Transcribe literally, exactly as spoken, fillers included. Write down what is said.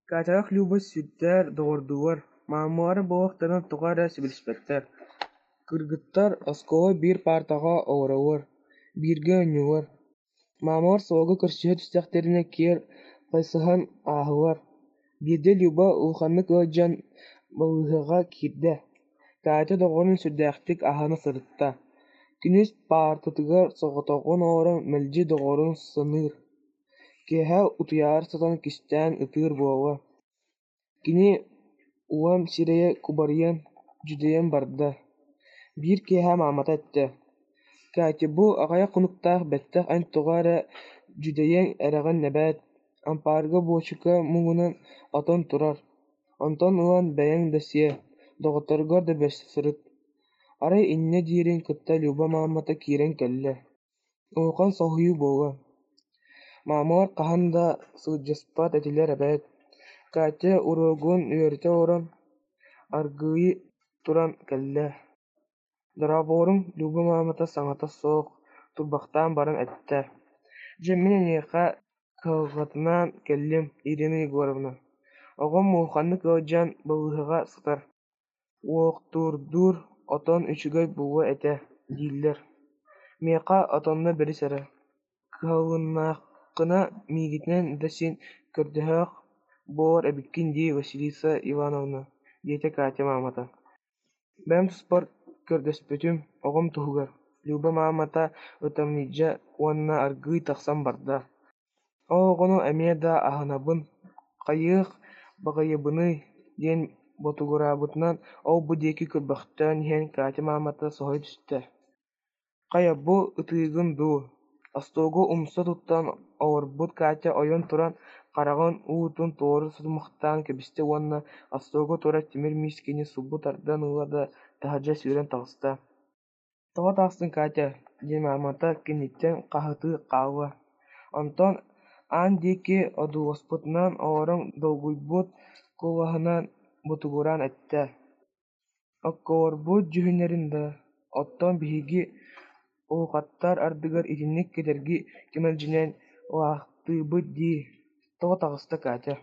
Катялаах Люба сүрдээх доҕордуулар, маамалара буоллахтарына тоҕо эрэ сөбүлэспэттэр. Кыргыттар оскуолаҕа биир паартаҕа олороллор, бииргэ оонньууллар. Маамалар суолга көрсүһэ түстэхтэринэ киэр хайысыһан ааһаллар. Биирдэ Люба улаханнык ыалдьан балыыһаҕа киирдэ. Катя доҕорун сүрдээхтик аһына сырытта. Күнүс паартатыгар соҕотоҕун олорон мэлдьи доҕорун саныыр, киэһэ утуйаары сытан кистээн ытыыр буолла. Кини улам сирэйэ кубарыйан, дьүдэйэн барда. Биир киэһэ маамата эттэ: «Катя, бу аҕыйах хонуктан бэттэх эн тоҕо эрэ дьүдэйэн эрэҕин эбээт, ампаарга буочука муҥунан отон турар, онтон ылан бэйэҥ да сиэ, доҕотторгор да бэрсэ сырыт». Арай инньэ диирин кытта Люба маамата киирэн кэллэ. Улахан соһуйуу буолла. Маамалар хаһан да сылдьыспат этилэр эбээт. Катя уруогун үөрэтэ олорон, аргыый туран кэллэ. «Дорооболоруҥ», Люба маамата саҥата суох турбахтаан баран эттэ: «Дьэ, мин эйиэхэ кыһалҕатынан кэллим, Ирина Егоровна. Оҕом улаханнык ыалдьан балыыһаҕа сытар. Уохтуурдуур отон үчүгэй буолуо этэ дииллэр. Миэхэ отонно бэрис эрэ. Кыһалыннаххына миигиттэн да син көрдөһүөх буолар эбиккин дии, Василиса Ивановна», диэтэ Катя маамата. «Бэйэм туспар көрдөспөтүм, оҕом туһугар», Люба маамата ытамньыйда уонна аргыый тахсан барда. «Ол оҕону эмиэ да аһынабын, хайыах баҕайыбыный» диэн ботугураабытынан ол-бу диэки көрбөхтөөн иһэн Катя маамата соһуйа түстэ: «Хайа, бу ытыыгын дуу?» Остуолга умса туттан олорбут Катя ойон туран хараҕын уутун туора сотумахтаан кэбистэ уонна остуолга турар тимир миискэни сулбу тардан ылла да таһырдьа сүүрэн таҕыста. «Тоҕо таҕыстыҥ, Катя?» диэн маамата кэнниттэн хаһытыы хаалла. Онтон аан диэки одууласпытынан олорон долгуйбут куолаһынан ботугураан эттэ: «Окколорбут дьүһүннэрин да, оттон биһиги улахаттар ардыгар итинник кэдэрги кэмэлдьинэн ылаахтыыбыт дии, тоҕо таҕыста Катя?»